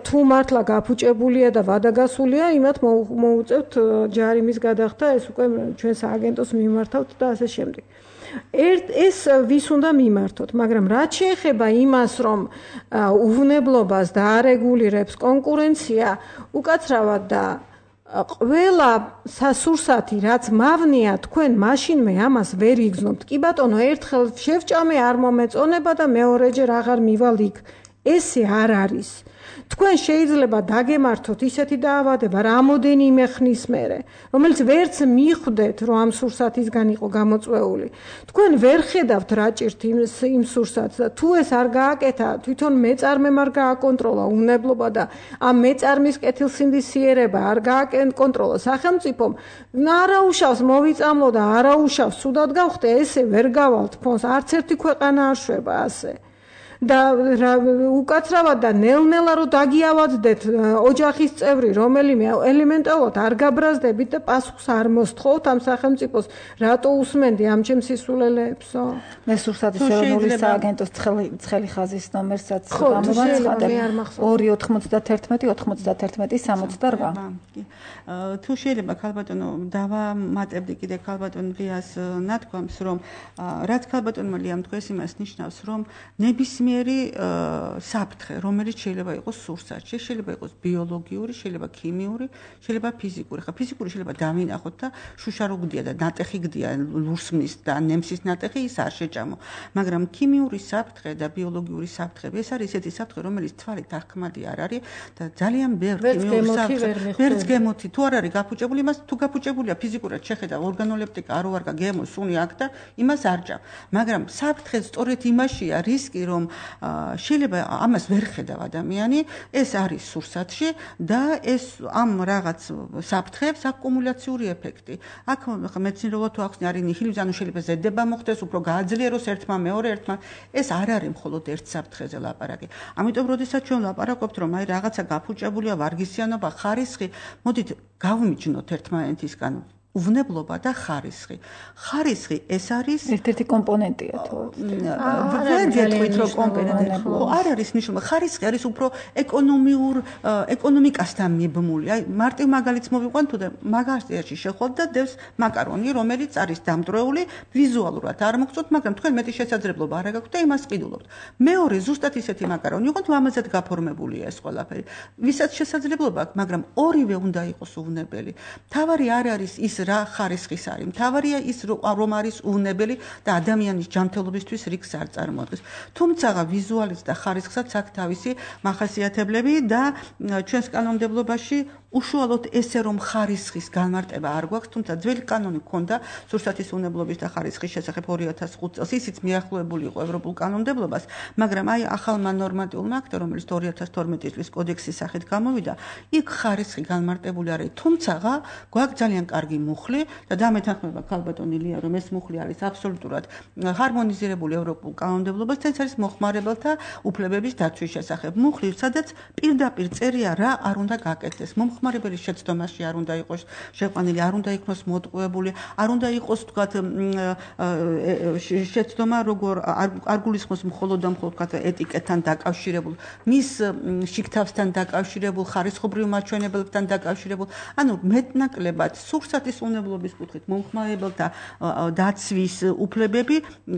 Speaker 1: თუ მართლა გაფუჭებულია და ვადაგასულია, იმათ მოუწევთ ჯარიმის გადახდა, ეს უკვე ჩვენ სააგენტოს მიმართავთ და ასე შემდეგ. ეს ვის უნდა მიმართოთ, მაგრამ რაც შეეხება იმას, რომ უვნებლობას დაარეგულირებს კონკურენცია, უკაცრავად და ყველა სასურსათი რაც მავნია, თქვენ მაშინმე ამას ვერ იგზნობთ. კი ბატონო, ერთხელ შევჭამე არ მომეწონება და მეორეჯერ აღარ მივალ იქ. ესე არ არის. თქვენ შეიძლება დაგემართოთ ისეთი დაავადება რამოდენიმე ხნის მერე, რომელიც ვერც მიხვდეთ, რომ ამ სურსათისგან იყო გამოწვეული. თქვენ ვერ ხედავთ რა ჭირთ იმ სურსათს და თუ ეს არ გააკეთა, თვითონ მეწარმემ არ გააკონტროლა უვნებლობა და ამ მეწარმის კეთილსინდისიერება არ გააკონტროლა სახელმწიფომ, არაუშავს მოვიწამლო და არაუშავს ცუდად გავხდე, ესე ვერ გავალთ ფონს, არც ერთი ქვეყანა არ შვება ასე. და უკაცრავად და ნელ-ნელა რომ დაგიავადდეთ ოჯახის წევრი რომელიმე ელემენტარულად არ გაბრაზდებით და პასუხს არ მოსთხოვთ ამ სახელმწიფოს რატო usmenდი ამ ჩემს სისულელეებსო
Speaker 2: მე სურსათის ეროვნული სააგენტოს ცხელი ხაზის ნომერსაც გამოვაცხადებ 291-91-68
Speaker 3: თუ შეიძლება ქალბატონო დავამატებდი კიდე ქალბატონ ლიას ნათქვამს რომ რაც ქალბატონმა ლიამ თქვეს იმას ნიშნავს რომ ნებისმიერი საფრთხე რომელიც შეიძლება იყოს სურსათში შეიძლება იყოს ბიოლოგიური შეიძლება ქიმიური შეიძლება ფიზიკური ხა ფიზიკური შეიძლება დავინახოთ და შუშა რო გდია და ნატეხი გდია ლურსმნის და ნემსის ნატეხი ის არ შეჭამო მაგრამ ქიმიური საფრთხე და ბიოლოგიური საფრთხე ეს არის ესეთი საფრთხე რომელიც თვალით აღქმადი არ არის და ძალიან ბევრი ქიმიური საფრთხე ვერც გემოთი თუ არ არის გაფუჭებული იმას თუ გაფუჭებულია ფიზიკურად შეხედა ორგანოლეპტიკა არ ვარგა გემო სუნი აქ და იმას არ ჭამ მაგრამ საფრთხე სწორედ იმაშია რისკი რომ შეიძლება ამას ვერ ხედავ ადამიანი ეს არის სურსათში და ეს ამ რაღაც საფრთხეებს აკუმულაციური ეფექტი აქ მეცნიერულად თუ ახსნი არის ნიჰილიზმი ანუ შეიძლება ზედება მოხდეს უფრო გააძლიეროს ერთმა მეორე ერთმა ეს არ არის მხოლოდ ერთ საფრთხეზე ლაპარაკი ამიტომ როდესაც ჩვენ ლაპარაკობთ რომ აი რაღაცა გაფუჭებულია ვარგისიანობა ხარისხი მოდით გავმიჯნოთ ერთმანეთისგან უვნებლობა და ხარისხი. ხარისხი ეს არის
Speaker 2: ერთ-ერთი კომპონენტია თუ
Speaker 3: ვერ გეტყვით რომ კომპონენტია. არ არის ნიშნულმა ხარისხი არის უფრო ეკონომიკასთან მიბმული. აი მარტივ მაგალითს მოვიყვან თუ და მაგაზიაში შეხვალთ და დევს მაკარონი რომელიც არის დამტვრეული ვიზუალურად არ მოგწოთ მაგრამ თქვენ მეტი შესაძლებლობა არ გაქვთ და იმას ყიდულობთ. მეორე ზუსტად ისეთი მაკარონი იყო თუ ამაზეც გაფორმებულია ეს ყველაფერი. ვისაც შესაძლებლობა აქვს მაგრამ ორივე უნდა იყოს უვნებელი. თავარი არ არის ის რა ხარისხის არის. მთავარია ის რომ არის უვნებელი და ადამიანის ჯანმრთელობისთვის რისკს არ წარმოადგენს. თუმცა ვიზუალიც და ხარისხსაც აქვს თავისი მახასიათებლები და ჩვენს კანონმდებლობაში უშუალოდ ესე რომ ხარისხის განმარტება არ გვაქვს, თუმცა ძველი კანონი ჰქონდა სურსათის უვნებლობის და ხარისხის შესახებ 2005 წელს. ისიც მიახლოებული იყო ევროპულ კანონმდებლობას, მაგრამ აი ახალმა ნორმატიულმა აქტმა, რომელიც 2012 წლის კოდექსის სახით გამოვიდა, იქ ხარისხი განმარტებული არის. თუმცა გვაქვს ძალიან კარგი მუხლი და დამეთანხმება ქალბატონი ლია, რომ ეს მუხლი არის აბსოლუტურად ჰარმონიზირებული ევროპულ კანონმდებლობასთან, ეს არის მოხმარებელთა უფლებების დაცვის შესახებ. მუხლი, სადაც პირდაპირ წერია რა არ უნდა გაკეთდეს. მომხმარებელის შეცდომაში არ უნდა იყოს შეყვანილი, არ უნდა იქნოს მოტყუებული, არ უნდა იყოს თქვათ შეცდომა როგორ არ გულისხმობს მხოლოდ და მხოლოდ თქვათ ეტიკეტთან დაკავშირებულ, მის შიგთავსთან დაკავშირებულ, ხარისხობრივ მაჩვენებლებთან დაკავშირებულ, ანუ მეტნაკლებად სურსათის უვნებლობის კუთხით მომხმარებელთა დაცვის უფლებები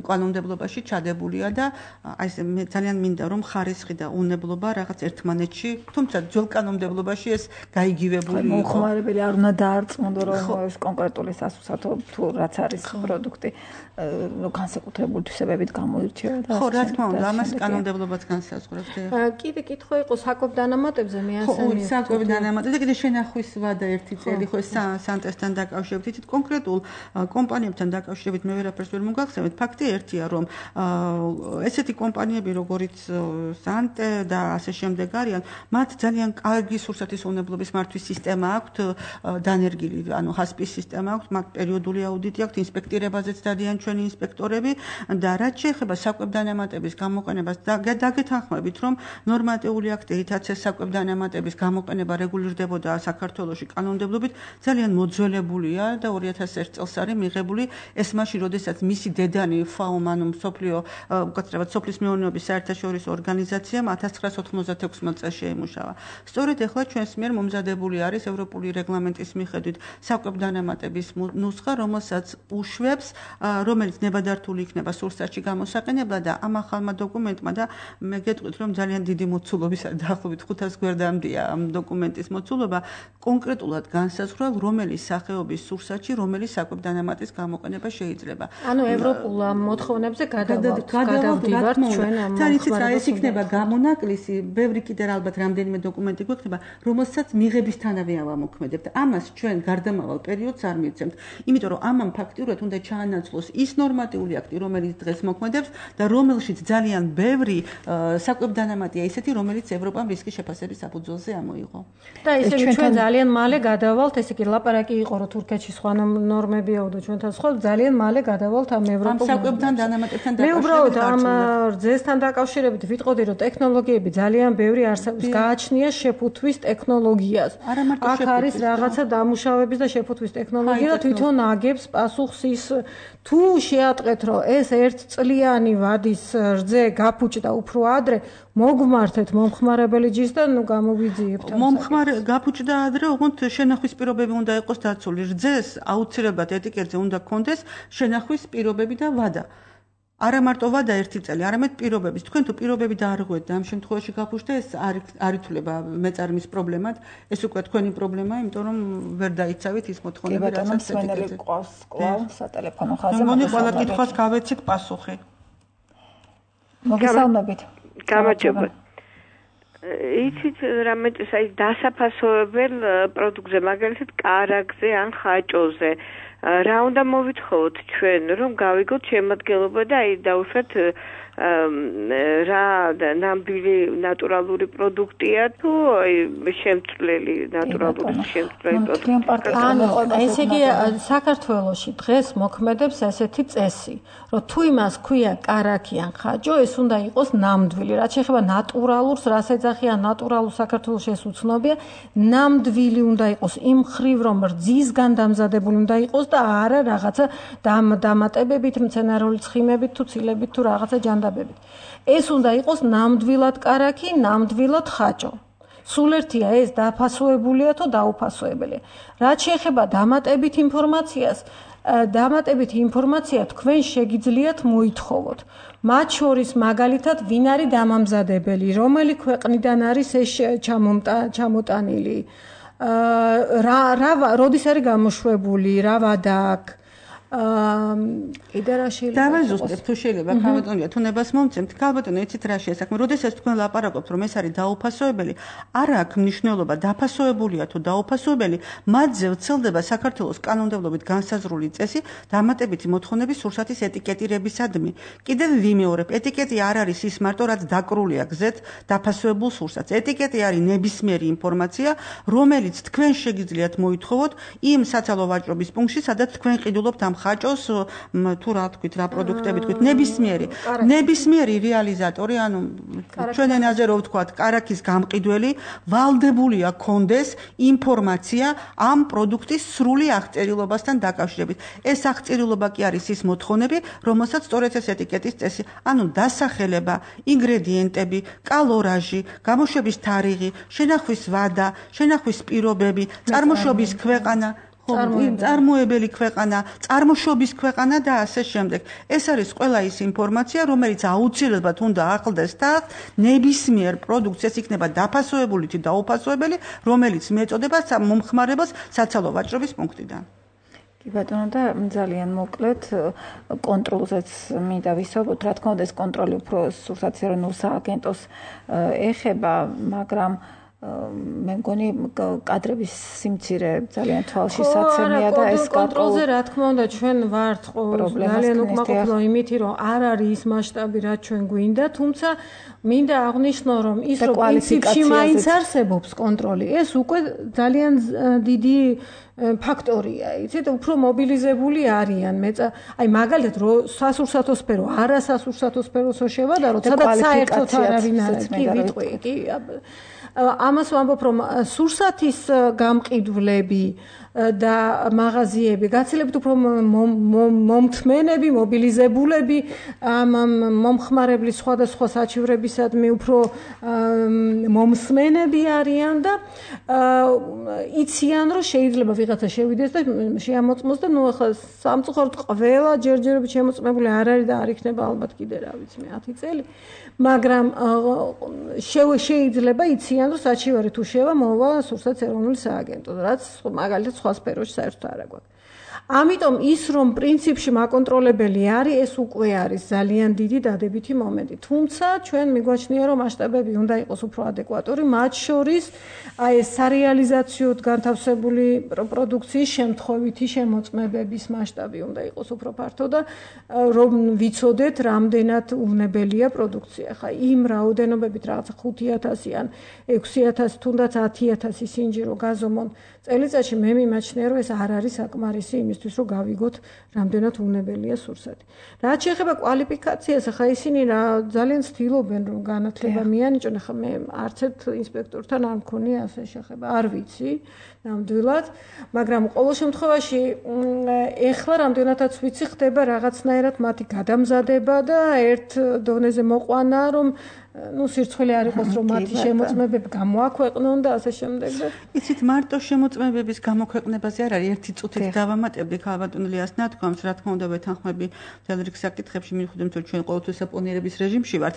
Speaker 3: კანონმდებლობაში ჩადებულია და აი მე ძალიან მინდა რომ ხარისხი და უვნებლობა რაღაც ერთმანეთში, თუმცა ძველ კანონმდებლობაში ეს გაიგივებული იყო.
Speaker 2: მოხმარებელი არ უნდა დაარწმუნდო რომ ეს კონკრეტული სასუსათო თუ რაც არის პროდუქტი განსაკუთრებული თვისებებით გამოირჩევა და
Speaker 3: ხო, რა თქმა უნდა, ამას კანონმდებლობაც განსაზღვრავს.
Speaker 1: კიდე კითხვა იყო საკვებ დანამატებზე მე ასე
Speaker 3: მივხვდი. ხო, საკვებ დანამატებზე კიდე შენახვის ვადა ერთი წელი ხო სანტესთან დაკავშირებით, თით კონკრეტულ კომპანიებთან დაკავშირებით მე ვერაფერს ვერ მოგახსენებთ. ფაქტი ერთია, რომ ესეთი კომპანიები, როგორიც სანტე და ასე შემდეგ არიან, მათ ძალიან კარგი სურსათის უნებლობის მართვის სისტემა აქვთ, დანერგილი, ანუ ჰასპის სისტემა აქვთ, მათ პერიოდული აუდიტი აქვთ, ინსპექტირებაზეც დადიან ჩვენი ინსპექტორები და რაც შეეხება საკვებ დანამატების გამოყენებას, დაგეთანხმებით, რომ ნორმატიული აქტითაც ეს საკვებ დანამატების გამოყენება რეგულირდებოდა საქართველოში კანონმდებლობით, ძალიან მოძველებულია და 2001 წელს არის მიღებული ეს მაშინ, როდესაც მისი დედანი FAO, ანუ მსოფლიო უკეთესად სოფლის მეურნეობის საერთაშორისო ორგანიზაციამ 1996 წელს შეიმუშავა. სწორედ ახლა ჩვენს მიერ მომზადებული არის ევროპული რეგლამენტის მიხედვით საკვებ დანამატების ნუსხა, რომელსაც უშვებს, რომელიც ნებადართული იქნება სურსათში გამოსაყენებლად და ამ ახალმა დოკუმენტმა და მე გეტყვით, რომ ძალიან დიდი მოცულობისა დაახლოებით 500 გვერდამდეა ამ დოკუმენტის მოცულობა, კონკრეტულად განსაზღვრა, რომელი სახეობის სურსათში, რომელი საკვებ დანამატის გამოყენება შეიძლება.
Speaker 1: ანუ ევროპულ მოთხოვნებზე გადავდივართ ჩვენ ამ
Speaker 3: თარიცით რა ეს იქნება გამონაკლისი, ბევრი კიდე ალბათ რამდენიმე დოკუმენტი გვექნება, რომელსაც მიღებისთანავე ავამოქმედებთ. ამას ჩვენ გარდამავალ პერიოდს არ მივცემთ, იმიტომ რომ ამან ფაქტიურად უნდა ჩაანაცვლოს ის ნორმატიული აქტი, რომელიც დღეს მოქმედებს და რომელშიც ძალიან ბევრი საკვებ დანამატია ისეთი, რომელიც ევროპამ რისკის შეფასების საფუძველზე ამოიღო.
Speaker 1: და ისე ჩვენ ძალიან მალე გადავალთ, ესე იგი ლაპარაკი იყო, რომ თურქეთში სხვა ნორმებია და ჩვენთან სხვა ძალიან მალე გადავალთ ამ ევროპულ
Speaker 3: საკვებთან დანამატებთან
Speaker 1: დაკავშირებით. მე უბრალოდ ამ რძესთან დაკავშირებით ვიტყოდი, რომ ტექნოლოგიები ძალიან ბევრი არსებობს, გააჩნია შეფუთვის ტექნოლოგიას. აქ არის რაღაცა დამუშავების და შეფუთვის ტექნოლოგია და თვითონ აგებს პასუხს ის თუ შეატყეთ, რომ ეს ერთწლიანი ვადის რძე გაფუჭდა უფრო ადრე, მოგმართეთ მომხმარებელი ჯიშს და ნუ გამოვიძიებთ.
Speaker 3: გაფუჭდა ადრე, ოღონდ შენახვის პირობები უნდა იყოს დაცული. რძეს აუცილებლად ეტიკეტზე უნდა კონდეს შენახვის პირობები და ვადა. არა მარტო ვადა ერთი წელი, არამედ პირობების. თქვენ თუ პირობები დაარღვევთ და ამ შემთხვევაში გაფუჭდა, ეს არ ითვლება მეწარმის პრობლემად, ეს უკვე თქვენი პრობლემაა, იმიტომ რომ ვერ დაიცავით ის მოთხოვნები,
Speaker 2: რასაც ეტიკეტზე. ყავს კლავ სატელეფონო ხაზზე.
Speaker 3: მოგონი ყველა კითხვას გავეცით პასუხი.
Speaker 2: მოგესალმებით.
Speaker 5: გამარჯობა. იცით რამე აი დასაფასოებელ პროდუქტზე, მაგალითად კარაქზე ან ხაჭოზე. რა უნდა მოვითხოვოთ ჩვენ, რომ გავიგოთ შემადგენლობა და აი დავუშვათ რა ნამდვილი ნატურალური პროდუქტია თუ შემცვლელი ნატურალური შემცვლელი პროდუქტი.
Speaker 1: ესე იგი საქართველოში დღეს მოქმედებს ესეთი წესი, რომ თუ იმას ქვია კარაქი ან ხაჭო, ეს უნდა იყოს ნამდვილი. რაც შეეხება ნატურალურს, რას ეძახიან ნატურალურ საქართველოში ეს უცნობია, ნამდვილი უნდა იყოს იმ ხრივ, რომ რძისგან დამზადებული უნდა იყოს და არა რაღაცა დამატებებით, მცენარეული ცხიმებით თუ ცილებით თუ რაღაცა ჯანდაბებით. ეს უნდა იყოს ნამდვილად კარაქი, ნამდვილად ხაჭო. სულ ერთია ეს დაფასოებულია თუ დაუფასოებელია. რაც შეეხება დამატებით ინფორმაციას, დამატებით ინფორმაცია თქვენ შეგიძლიათ მოითხოვოთ. მათ შორის მაგალითად ვინ არის დამამზადებელი, რომელი ქვეყნიდან არის ეს ჩამოტანილი, როდის არის გამოშვებული, რა ვადა აქვს. იდეა შეიძლება
Speaker 3: დავაზუსტებ თუ შეიძლება ქალბატონია თუნებას მომცემთ ქალბატონო იცით რა შეესახმე როდესაც თქვენ ლაპარაკობთ რომ ეს არის დაუფასოებელი არ აქვს მნიშვნელობა დაფასოებულია თუ დაუფასოებელი მათზე ვრცელდება საქართველოს კანონმდებლობით განსაზღვრული წესი დამატებითი მოთხოვნების სურსათის ეტიკეტირებისადმი კიდევ ვიმეორებ ეტიკეტი არ არის ის მარტო რაც დაკრულია გზეთ დაფასოებულ სურსათს ეტიკეტი არის ნებისმიერი ინფორმაცია რომელიც თქვენ შეგიძლიათ მოითხოვოთ იმ საცალო ვაჭრობის პუნქტში სადაც თქვენ ყიდულობთ ამ ხაჭოს თუ რა თქვით რა პროდუქტები თქვით ნებისმიერი რეალიზატორი ანუ ჩვენ ენაზე რო ვთქვათ კარაქის გამყიდველი ვალდებულია კონდეს ინფორმაცია ამ პროდუქტის სრული აღწერილობასთან დაკავშირებით ეს აღწერილობა კი არის ის მოთხოვნები რომელსაც სწორედ ეს ეტიკეტის წესი ანუ დასახელება ინგრედიენტები კალორაჟი გამოშვების თარიღი შენახვის ვადა შენახვის პირობები წარმოშობის ქვეყანა წარმოებელი ქვეყანა, წარმოშობის ქვეყანა და ასე შემდეგ. ეს არის ყველა ის ინფორმაცია, რომელიც აუცილებლად უნდა ახლდეს თავს ნებისმიერ პროდუქციას, იქნება დაფასოებული თუ დაუფასოებელი, რომელიც მეწოდება მომხმარებელს საცალო ვაჭრობის პუნქტიდან.
Speaker 2: კი ბატონო და ძალიან მოკლედ კონტროლზეც მინდა ვისაუბროთ, რა თქმა უნდა ეს კონტროლი უფრო სურსათის ეროვნულ სააგენტოს ეხება, მაგრამ მე მგონი კადრების სიმცირე ძალიან თვალში საცემია და ეს
Speaker 1: კონტროლზე რა თქმა უნდა ჩვენ ვართ ძალიან უკმაყოფილო იმით რომ არ არის ის მასშტაბი რაც ჩვენ გვინდა, თუმცა მინდა აღვნიშნო რომ ის რომ პრინციპში მაინც არსებობს კონტროლი, ეს უკვე ძალიან დიდი ფაქტორია, იცით, უფრო მობილიზებული არიან. აი მაგალითად რო სასურსათო სფერო, არასასურსათო სფეროსო შევადაროთ, სადაც საერთოდ არავინ არ არის. კი ვიტყვი, კი ამას ვამბობ რომ სურსათის გამყიდვლები და მაღაზიები გაცილებით უფრო მომთმენები, მობილიზებულები მომხმარებლის სხვადასხვა საჩივრებისადმი უფრო მომსმენები არიან და იციან რომ შეიძლება ვიღაცა შევიდეს და შეამოწმოს და ნუ ახლა სამწუხაროდ ყველა ჯერჯერობით შემოწმებული არ არის და არ იქნება ალბათ კიდე რა ვიცი მე 10 წელი, მაგრამ შეიძლება იციან რომ საჩივარი თუ შევა მოვა სურსათის ეროვნული სააგენტო, რაც მაგალითად სხვა სფეროში საერთოდ არ აქვს. ამიტომ ის რომ პრინციპში მაკონტროლებელი არის, ეს უკვე არის ძალიან დიდი დადებითი მომენტი. თუმცა ჩვენ მიგვაჩნია რომ მასშტაბები უნდა იყოს უფრო ადეკვატური, მათ შორის აი ეს სარეალიზაციოდ განთავსებული პროდუქციის შემთხვევითი შემოწმებების მასშტაბი უნდა იყოს უფრო ფართო და რომ ვიცოდეთ რამდენად უვნებელია პროდუქცია. ხა იმ რაოდენობებით რაღაცა 5,000 ან 6,000 თუნდაც 10,000 სინჯი რო გაზომონ წელიწადში, მე მიმაჩნია რომ ეს არ არის საკმარისი იმისთვის რომ გავიგოთ რამდენად უვნებელია სურსათი. რაც შეეხება კვალიფიკაციას, ახლა ისინი ძალიან ცდილობენ რომ განათლება მიანიჭონ, ახლა მე არც ერთ ინსპექტორთან არ მქონია ასე შეხება, არ ვიცი ნამდვილად, მაგრამ ყოველ შემთხვევაში ეხლა რამდენადაც ვიცი ხდება რაღაცნაირად მათი გადამზადება და ერთ დონეზე მოყვანა რომ სირცხვილი არ იყოს რომ მათი შემოწმებები გამოაქვეყნონ და ასე შემდეგ და
Speaker 3: იცით მარტო შემოწმებების გამოქვეყნებაზე არ არის ერთი წუთით დავამატებდი ქალბატონ ლიას ნათქვამს, რა თქმა უნდა ვეთანხმები მთელ რიგ საკითხებში, მიუხედავად რომ ჩვენ ყოველთვის საპონიერების რეჟიმში ვართ.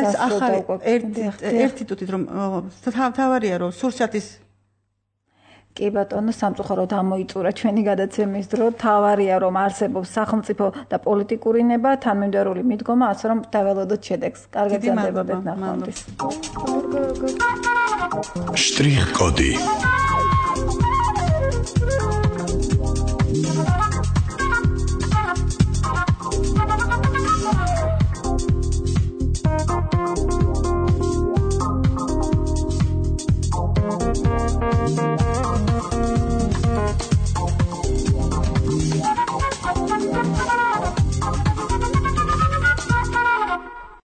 Speaker 3: ეს ახალი ერთი წუთით რომ თავარია რომ სურსათის
Speaker 2: კი ბატონო, სამწუხაროდ ამოიწურა ჩვენი გადაცემის დრო. თავარია რომ არსებობს სახელმწიფო და პოლიტიკური ნება, თანმიმდევრული მიდგომა, ასე რომ დაველოდოთ შედეგს. კარგად გრძელდება ნახვამდის.
Speaker 6: შტრიხ კოდი